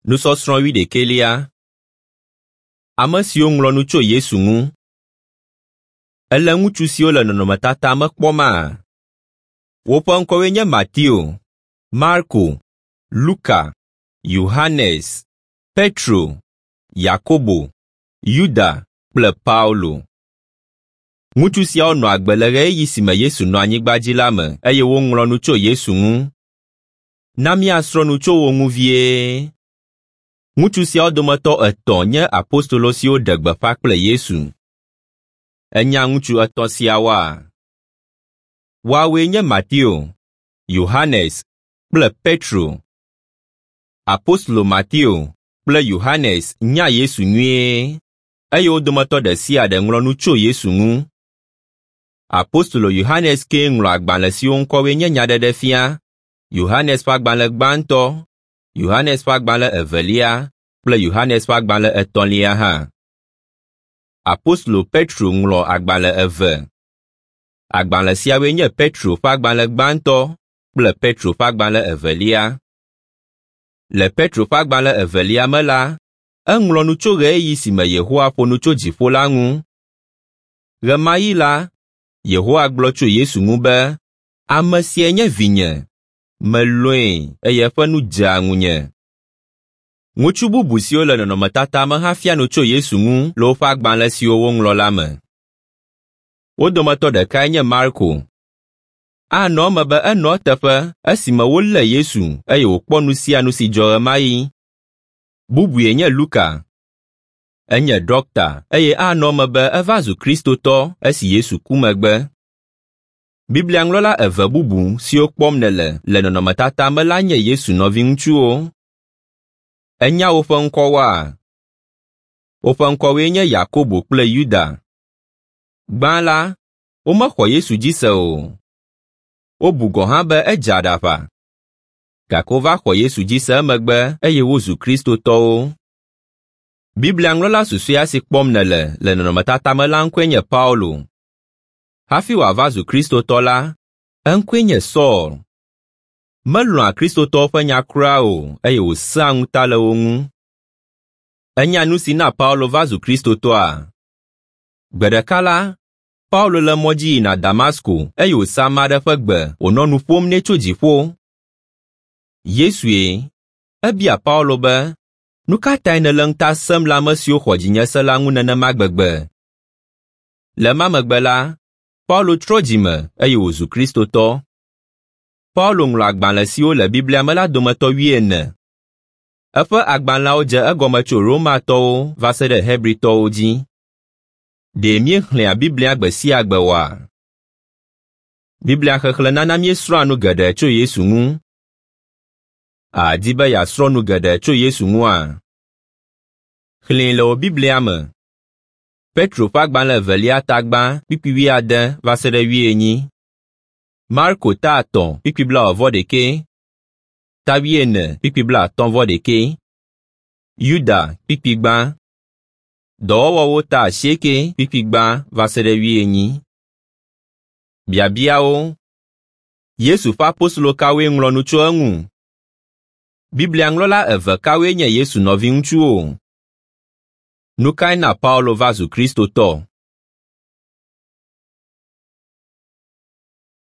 Nusɔsrɔ̃ wuiɖekɛlia. Ame siwo ŋlɔ nu tso Yesu ŋu. Èle ŋutsu siwo le nɔnɔmetata me kpɔma? Woƒe ŋkɔwoe nye Mateo, Marko, Luka, Yohanes, Petro, Yakobo, Yuda kple Paulo. Ŋutsu siawo nɔ agbe le ɣeyiɣi si me Yesu nɔ anyigba dzi la me eye woŋlɔ nu tso Yesu ŋu. Na míasrɔ̃ nu tso wo ŋu vie. Ŋutsu siawo dometɔ etɔ̃ nye apostolo siwo ɖe gbeƒã kple Yesu. Ènya ŋutsu etɔ̃ siawoa? Woawoe nye Mateo, Yohanes kple Petro. Apostolo Mateo kple Yohanes nya Yesu nyuie eye wo dometɔ ɖe sia ɖe ŋlɔ nu tso Yesu ŋu. Apostolo Yohanes kee ŋlɔ agbalẽ siwo ŋkɔwoe nye Nyaɖeɖefia, Yohanes ƒe agbalẽ gbãtɔ, Yohanes ƒe agbalẽ evelia kple Yohanes ƒe agbalẽ etɔ̃lia hã. Apostolo Petro ŋlɔ agbalẽ eve. Agbalẽ siawoe nye Petro ƒe agbalẽ gbãtɔ kple Petro ƒe agbalẽ evelia. Le Petro ƒe agbalẽ evelia me la, eŋlɔ nu tso ɣeyiɣi si me Yehowa ƒo nu tso dziƒo la ŋu. Ɣemaɣi la, Yehowa gblɔ tso Yesu ŋu be, Ame siae nye vinye, melɔ̃e eye eƒe nu dzea ŋunye. Ŋutsu bubu siwo le nɔnɔmetata me hã fia nu tso Yesu ŋu le woƒe agbalẽ siwo woŋlɔ la me. Wo dometɔ ɖekae nye Marko. Anɔ eme be enɔ eteƒe esime wolé Yesu eye wòkpɔ nu sia nu si dzɔ ɣemaɣi. Bubue nye Luka. Enye ɖɔkta eye anɔ eme be eva zu Kristotɔ esi Yesu ku megbe. Biblia ŋlɔla eve bubu siwo kpɔm nèle le nɔnɔmetata me la nye Yesu nɔviŋutsuwo. Ènya woƒe ŋkɔwoa? Woƒe ŋkɔwoe nye Yakobo kple Yuda. Gbã la, womexɔ Yesu dzi se o. Wobu gɔ̃ hã be edze aɖaʋa. Gake wova xɔ Yesu dzi se emegbe eye wozu Kristotɔwo. Biblia ŋlɔla susɔea si kpɔm nèle le nɔnɔmetata me la ŋkɔe nye Paulo. Hafi wòava zu Kristotɔ la, eŋkɔe nye Saul. Melɔ̃a Kristotɔwo ƒe nya kura o eye wòsẽa ŋuta le wo ŋu. Ènya nu si na Paulo va zu Kristotɔa? Gbe ɖeka la, Paulo le mɔ dzi yina Damasko eye wòse ame aɖe ƒe gbe wònɔ nu ƒom nɛ tso dziƒo. Yesue. Ebia Paulo be, Nu ka tae nèle ŋuta sẽm le ame siwo xɔ dzinye se la ŋu nenema gbegbe? Le ema megbe la, Paulo trɔ dzime eye wòzu Kristotɔ. Paulo ŋlɔ agbalẽ siwo le Biblia me la dometɔ wuiene. Eƒe agbalẽawo dze egɔme tso Romatɔwo va se ɖe Hebritɔwo dzi. Ɖe míexlẽa Biblia gbe sia gbe oa? Biblia xexlẽ nana míesrɔ̃a nu geɖe tso Yesu ŋu. Àdi be yeasrɔ̃ nu geɖe tso Yesu ŋua? Xlẽe le wò Biblia me. Petro ƒe agbalẽ evelia ta gbã kpukpui wuiade va se ɖe wuienyi. Marko ta etɔ̃ kpukpui blaeve-vɔ-ɖekɛ, ta wuiene kpukpui blaatɔ̃-vɔ-ɖekɛ, Yuda kpukpui gbã, Dɔwɔwɔwo ta asieke kpukpui gbã va se ɖe wuienyi. Biabiawo. Yesu ƒe apostolo kawoe ŋlɔ nu tso eŋu? Biblia ŋlɔla eve kawoe nye Yesu nɔviŋutsuwo? Nu kae na Paulo va zu Kristotɔ?